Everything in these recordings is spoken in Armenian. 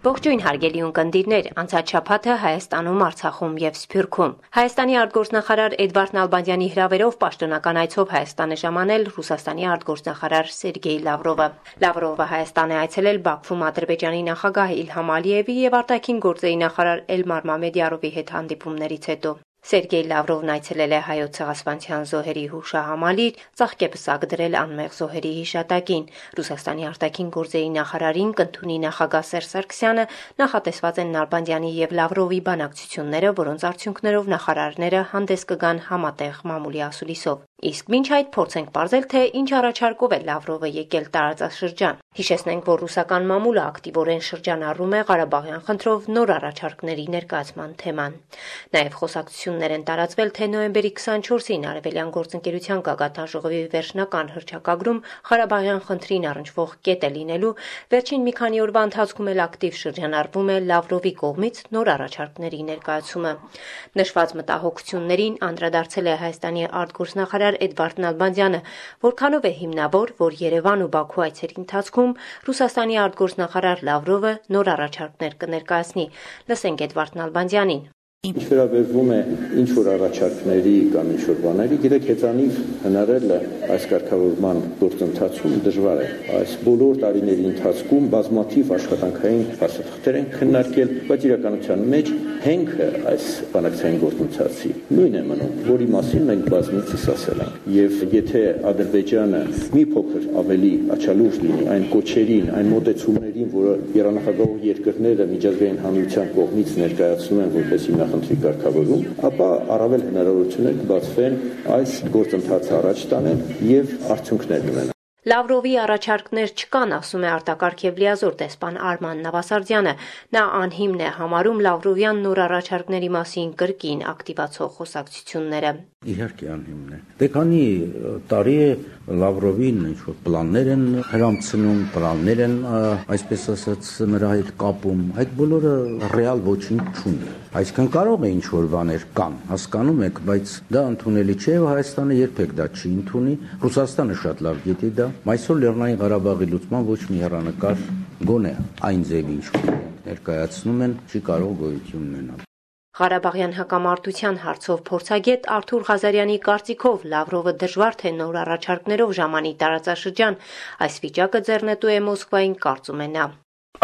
Ողջույն հարգելի ունկնդիրներ, անցած շաբաթը Հայաստանում, Արցախում եւ Սփյուռքում։ Հայաստանի արտգործնախարար Էդվարդ Նալբանդյանի հրավերով պաշտոնական այցով Հայաստան է ժամանել Ռուսաստանի արտգործնախարար Սերգեյ Լավրովը։ Լավրովը Հայաստան է այցելել Բաքվում Ադրբեջանի նախագահ Իլհամ Ալիևի եւ արտաքին գործերի նախարար Էլմար Մամեդյարովի հետ հանդիպումներից հետո։ Սերգեյ Լավրովն այցելել է Հայոց ցեղասպանության զոհերի հուշահամալիր, ծաղկեպսակ դրել անմեղ զոհերի հիշատակին։ Ռուսաստանի արտաքին գործերի նախարարին կընդունի նախագահ Սերժ Սարգսյանը, նախատեսված են Նալբանդյանի եւ Լավրովի բանակցությունները, որոնց արդյունքներով նախարարները հանդես կգան համատեղ մամուլի ասուլիսով։ Իսկ մինչ այդ փորձ ենք պարզել, թե ինչ առաջարկով է Լավրովը եկել տարածաշրջան։ Հիշեցնենք, որ ռուսական մամուլը ակտիվորեն շրջանառում է Ղարաբաղյան խնդրով նոր առաջարկների ներկայացման թեման։ Նաև խոսակցություններ են տարածվել, թե նոյեմբերի 24-ին Արևելյան գործընկերության գագաթան ժողովի վերջնական հռչակագրում Ղարաբաղյան խնդրին առնչվող կետ է լինելու, վերջին մի քանի օրվա ընթացքում էլ ակտիվ շրջանառվում է Լավրովի կողմից նոր առաջարկների ներկայացումը։ Նշված մտահոգություններին անդրադարձել է Հայաստանի արտգործնախարար Էդվարդ Նալբանդյանը, որքանով է հիմնավոր, որ Երևան ու Բաքու այցերի ընթացքում Ռուսաստանի արտգործնախարար Լավրովը նոր առաջարկներ կներկայացնի։ Լսենք Էդվարդ Նալբանդյանին։ Ինչ վերաբերվում է ինչ-որ առաջարկների կամ ինչ-որ բաների, գիտեք, հեծանիվ հնարել այս կարգավորման գործընթացում դժվար է։ Այս բոլոր տարիների ընթացքում բազմաթիվ աշխատանքային փաստաթղթեր են քննարկել, բայց իրականության մեջ հենքը այս բանակցային գործընթացի նույնն է մնում, որի մասին մենք բազմիցս ասել ենք։ Եվ եթե Ադրբեջանը մի փոքր ավելի աչալուր լինի այն կոչերին, այն մոտեցումներին, որը երանախագահող երկրները միջազգային հանրության կողմից ներկայացնում են որպես հիմնախնդրի կարգավորում, ապա առավել հնարավորություններ կբացվեն այս գործընթացը առաջ տանել եւ արդյունքներ ունենալ։ Լավրովի առաջարկներ չկան, ասում է արտակարգ եւ լիազոր դեսպան Արման Նավասարդյանը։ Նա անհիմն է համարում Լավրովյան նոր առաջարկների մասին կրկին ակտիվացող խոսակցությունները։ Իհարկե անհիմն է։ Դե քանի տարի է Լավրովին ինչ-որ պլաններ են հրամցնում, պլաններ են, այսպես ասած, նրա հետ կապում, այդ բոլորը ռեալ ոչինչ չունի։ Այսինքն կարող է ինչ-որ բաներ կան, հասկանում եք, բայց դա ընդունելի չէ եւ Հայաստանը երբեք դա չի ընդունի։ Ռուսաստանը շատ լավ գիտի դա։ Այսօր Լեռնային Ղարաբաղի լուծման ոչ մի հեռանկար գոնե այն ձևի ինչ-որ ներկայացնում են, չի կարող գոյություն ունենալ։ Ղարաբաղյան հակամարտության հարցով փորձագետ Արթուր Ղազարյանի կարծիքով Լավրովը դժվար թե նոր առաջարկներով ժամանի տարածաշրջան, այս վիճակը ձեռնետու է Մոսկվային, կարծում է նա։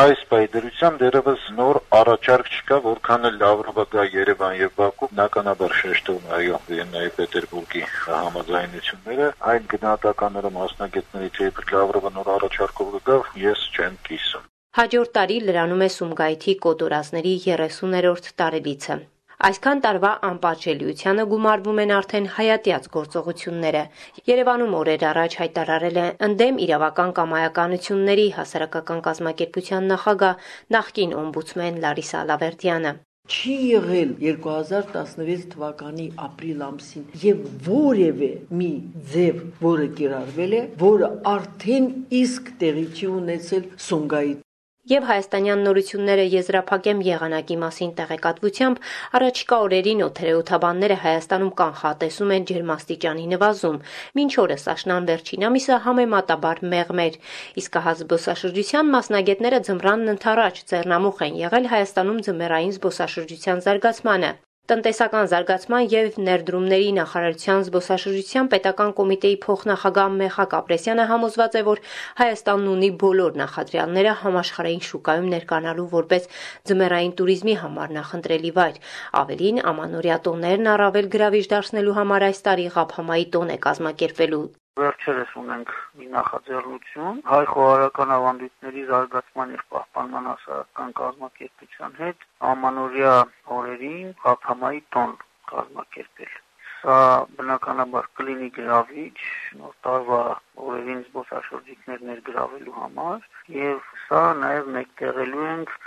Այս պայդրությամբ դերևս նոր առաջարկ չկա, որքան էլ Լավրովը գա Երևան եւ Բաքու, բնականաբար շեշտում այո Վիեննայի Պետերբուրգի համաձայնությունները, այդ գնահատականները մասնագետներից երբ Լավրովը նոր առաջարկով կգա, ես չեմ կիսում։ Հաջորդ տարի լրանում է Սումգայիթի կոտորածների 30-րդ տարելիցը։ Այսքան տարվա անպատժելիությանը գումարվում են արդեն հայատյաց գործողությունները։ Երևանում օրեր առաջ հայտարարել է ընդդեմ իրավական կամայականությունների հասարակական կազմակերպության նախագահ նախկին օմբուդսմեն Լարիսա Ալավերդյանը։ Չի եղել 2016 թվականի ապրիլ ամսին եւ որևէ մի ձև, որը կիրառվել է, որը արդեն իսկ տեղի չի ունեցել Սումգայիթ։ Եվ հայաստանյան նորությունները եզրափակեմ եղանակի մասին տեղեկատվությամբ, առաջիկա օրերին օդերեօթաբանները Հայաստանում կանխատեսում են ջերմաստիճանի նվազում։ Մինչ օրս աշնան վերջին ամիսը համեմատաբար մեղմ էր։ Իսկ հա զբոսաշրջության մասնագետները ձմռանն ընդառաջ ձեռնամուխ են եղել Հայաստանում ձմեռային զբոսաշրջության զարգացմանը։ Տնտեսական զարգացման եւ ներդրումների նախարարության զբոսաշրջության պետական կոմիտեի փոխնախագահ Մեխակ Ապրեսյանը համոզված է, որ Հայաստանն ունի բոլոր նախադրյալները համաշխարհային շուկայում ներկայանալու որպես ձմեռային туриզմի համար նախընտրելի վայր։ Ավելին, ամանորյա տոներն առավել գրավիչ դարձնելու համար այս տարի Ղափամայի տոն է կազմակերպվելու։ Վերջերս ունենք մի նախաձեռնություն հայ խոհարարական ավանդույթների զարգացման եւ պահպանման հասարակական կազմակերպության հետ ամանորյա օրերին Ղափամայի տոն կազմակերպել։ Սա բնականաբար կլինի գրավիչ նոր տարվա օրերին զբոսաշրջիկներ ներգրավելու համար եւ սա նաեւ մեկտեղելու ենք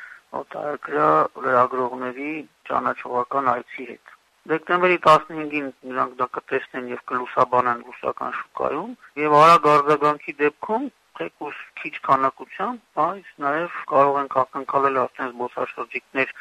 օտարերկրյա լրագրողների ճանաչողական այցի հետ։ Դեկտեմբերի 15-ին նրանք դա կտեսնեն եւ կլուսաբանեն ռուսական շուկայում եւ արագ արձագանքի դեպքում թեկուզ քիչ քանակությամբ, բայց նաեւ կարող ենք ակնկալել արդեն զբոսաշրջիկներ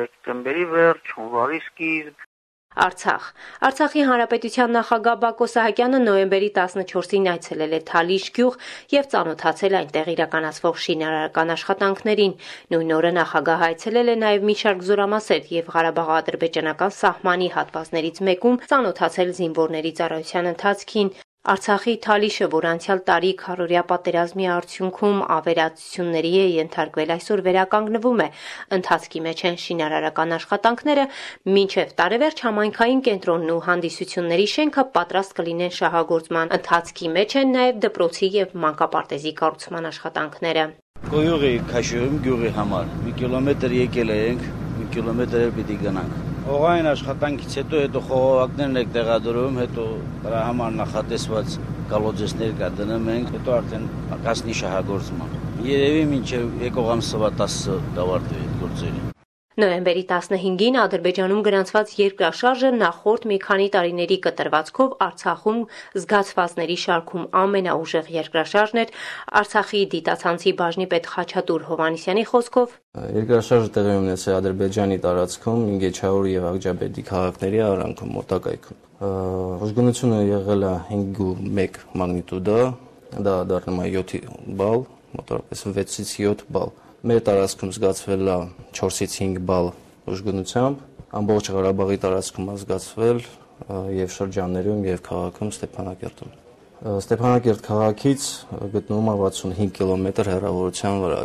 դեկտեմբերի վերջ, հունվարի սկիզբ։ Արցախի հանրապետության նախագահ Բակո Սահակյանը նոյեմբերի 14-ին այցելել է Թալիշ գյուղ եւ ծանոթացել այնտեղ իրականացվող շինարարական աշխատանքներին։ Նույն օրը նախագահը այցելել է նաեւ մի շարք զորամասեր եւ Ղարաբաղ-ադրբեջանական սահմանի հատվածներից մեկում ծանոթացել զինվորների ծառայության ընթացքին։ Արցախի Թալիշը, որ անցյալ տարի քառորյա պատերազմի արդյունքում ավերածությունների է ենթարկվել, այսօր վերականգնվում է։ Ընթացքի մեջ են շինարարական աշխատանքները, մինչև տարեվերջ համայնքային կենտրոնն ու հանդիսությունների շենքը պատրաստ կլինեն շահագործման։ Ընթացքի մեջ են նաև դպրոցի եւ մանկապարտեզի կառուցման աշխատանքները։ Գյուղի քաշում գյուղի համար 1 կիլոմետր եկել ենք, 1 կիլոմետր պիտի գնանք։ Օղային աշխատանքից հետո խողովակներն եք տեղադրում, հետո դրա համար նախատեսված գալոձեսներ կա դնում ենք, հետո արդեն կասնի շահագործման։ Երևի մինչև եկող ամսվա 10-ը կավարտվի այդ գործերը։ Նոյեմբերի 15-ին Ադրբեջանում գրանցված երկրաշարժը նախորդ մի քանի տարիների կտրվածքով Արցախում զգացվածների շարքում ամենաուժեղ երկրաշարժն էր։ Արցախի դիտացանցի բաժնի պետ Խաչատուր Հովհաննիսյանի խոսքով երկրաշարժը տեղի ունեցել Ադրբեջանի տարածքում Ինգեչաուր եւ Աղջաբեդի քաղաքների արանքում մոտակայքում։ Ուժգնությունը եղել է 5.1 մագնիտուդա, դա դառնում է 7 բալ, մոտավորապես 6-ից 7 բալ։ Մեր տարածքում զգացվել է 4-ից 5 բալ ուժգնությամբ, ամբողջ Ղարաբաղի տարածքում է զգացվել եւ շրջաններում եւ քաղաքում Ստեփանակերտում։ Ստեփանակերտ քաղաքից գտնվում է 65 կիլոմետր հեռավորության վրա։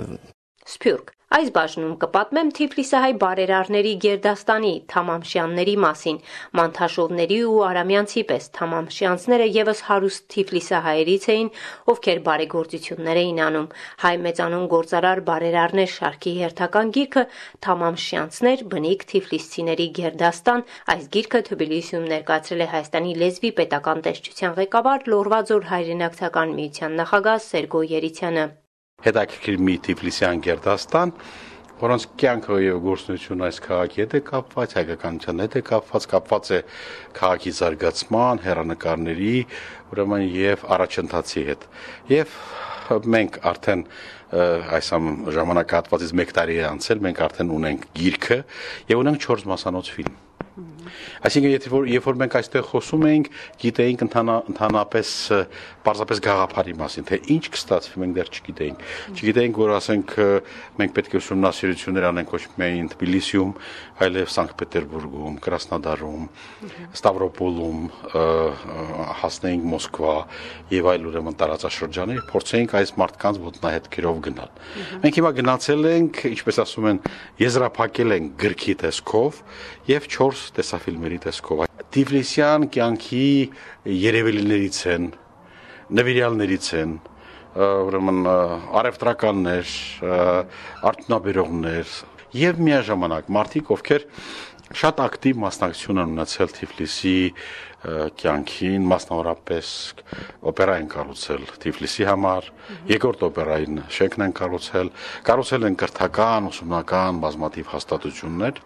Սփյուռք Այս բաժնում կպատմեմ Թիֆլիսահայ բարերարների գերդաստանի Թամամշյանների մասին։ Մանթաշովների ու արամյանցի պես Թամամշյանցները եւս հարուստ Թիֆլիսահայերից էին, ովքեր բարեգործություններ էին անում։ Հայ մեծանուն գործարար բարերարներ շարքի հերթական գիրքը Թամամշյանցներ բնիկ Թիֆլիսցիների գերդաստան։ Այս գիրքը Թբիլիսիում ներկայացրել է Հայաստանի լեզվի պետական տեսչության ղեկավար Լոռվաձոր հայրենակցական միության նախագահ Սերգո Երիցյանը։ Հետաքրքիր մի Թիֆլիսյան գերդաստան, որոնց կյանքը եւ գործունեությունը այս քաղաքի հետ է կապված, հայկականության հետ է կապված է քաղաքի զարգացման, հեռանկարների, ուրեմն եւ առաջընթացի հետ։ Եվ մենք արդեն այս ժամանակահատվածից 1 տարի է անցել, մենք արդեն ունենք գիրքը եւ ունենք 4 մասանոց ֆիլմ։ Այսինքն, երբ որ մենք այստեղ խոսում էինք, գիտեինք ընդհանրապես պարզապես գաղափարի մասին, թե ինչ կստացվի, մենք դեռ չգիտեինք։ Չգիտեինք, որ ասենք մենք պետք է ուսումնասիրություններ անենք ոչ միայն Թբիլիսիում, այլև Սանկտ Պետերբուրգում, Կրասնոդարում, Ստավրոպոլում, հասնեինք Մոսկվա եւ այլ ուրեմն տարածաշրջաններ, փորձեինք այս մարդկանց ոտնահետքերով գնալ։ Մենք հիմա գնացել ենք, ինչպես ասում են, եզրափակել ենք գրքի տեսքով եւ 4 տեսաֆիլմերի տեսքով։ Թիֆլիսյան կյանքի երևելիներից են, նվիրյալներից են, ուրեմն արևտրականներ, արդյունաբերողներ եւ միաժամանակ մարդիկ, ովքեր շատ ակտիվ մասնակցություն են ունեցել Թիֆլիսի կյանքին, մասնավորապես օպերա են կառուցել Թիֆլիսի համար, երկրորդ օպերային շենքն են կառուցել են կրթական, ուսումնական բազմաթիվ հաստատություններ։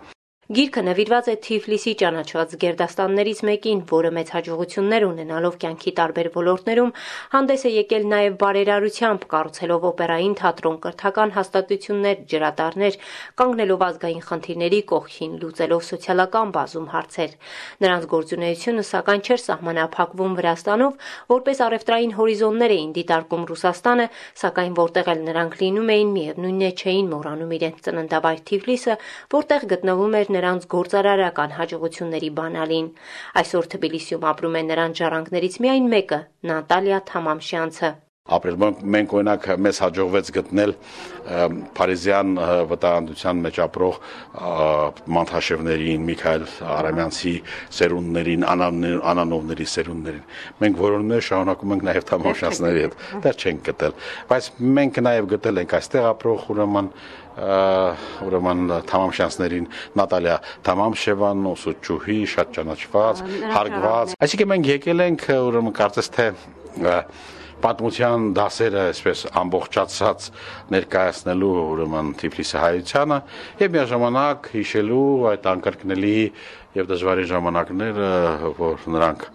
Գիրքը նվիրված է Թիֆլիսի ճանաչված գերդաստաններից մեկին, որը մեծ հաջողություններ ունենալով կյանքի տարբեր ոլորտներում հանդես է եկել նաև բարերարությամբ, կառուցելով օպերային թատրոն, կրթական հաստատություններ, ջրատարներ, կանգնելով ազգային խնդիրների կողքին, լուծելով սոցիալական բազում հարցեր։ Նրանց գործունեությունը սակայն չէր սահմանափակվում Վրաստանով, որպես առևտրային հորիզոններ էին դիտարկում Ռուսաստանը, սակայն որտեղ էլ նրանք լինում էին, միևնույնն է չէին մոռանում իրենց ծննդավայր Թիֆլիսը, որտեղ գտնվում էր նրանց գործարարական հաջողությունների բանալին։ Այսօր Թբիլիսիում ապրում է նրանց ժառանգներից միայն մեկը՝ Նատալիա Թամամշյանցը։ Ապրել մենք օրինակ մեզ հաջողվեց գտնել Փարիզյան վտանգության մեջ ապրող Մանթաշևներին, Միքայել Արամյանցի սերունդներին, Անանովների սերունդներին։ Մենք որոններ շարունակում ենք նաև Թամամշյանցների հետ, դեռ չենք գտել, բայց մենք նաև գտել ենք այստեղ ապրող ուրեմն Թամամշյանցներին Նատալիա Թամամշևան, ուսուցչուհի, շատ ճանաչված, հարգված։ Այսինքն մենք եկել ենք ուրեմն կարծես թե պատմության դասերը այսպես ամբողջացած ներկայացնելու ուրեմն Թիֆլիսի հայությանը եւ միաժամանակ հիշելու այդ անկրկնելի եւ դժվարին ժամանակները, որ նրանք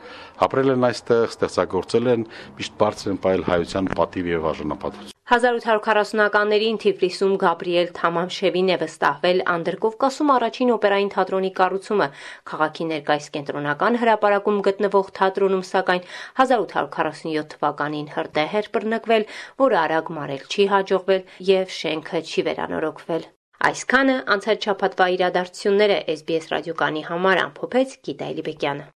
ապրել են այստեղ, ստեղծագործել են, միշտ բարձր են պահել հայության պատիվ եւ արժանապատվություն։ 1840-ականներին Թիֆլիսում Գաբրիել Թամամշևին է վստահվել Անդրկովկասում առաջին օպերային թատրոնի կառուցումը, քաղաքի ներկայիս կենտրոնական հրապարակում գտնվող թատրոնում, սակայն 1847 թվականին հրդեհ էր բռնկվել, որը արագ մարել չի հաջողվել եւ շենքը չի վերանորոգվել։ Այսքանը անցած շաբաթվա իրադարձությունները SBS ռադիոկայանի համար ամփոփեց Գիտա Էլիբեկյանը։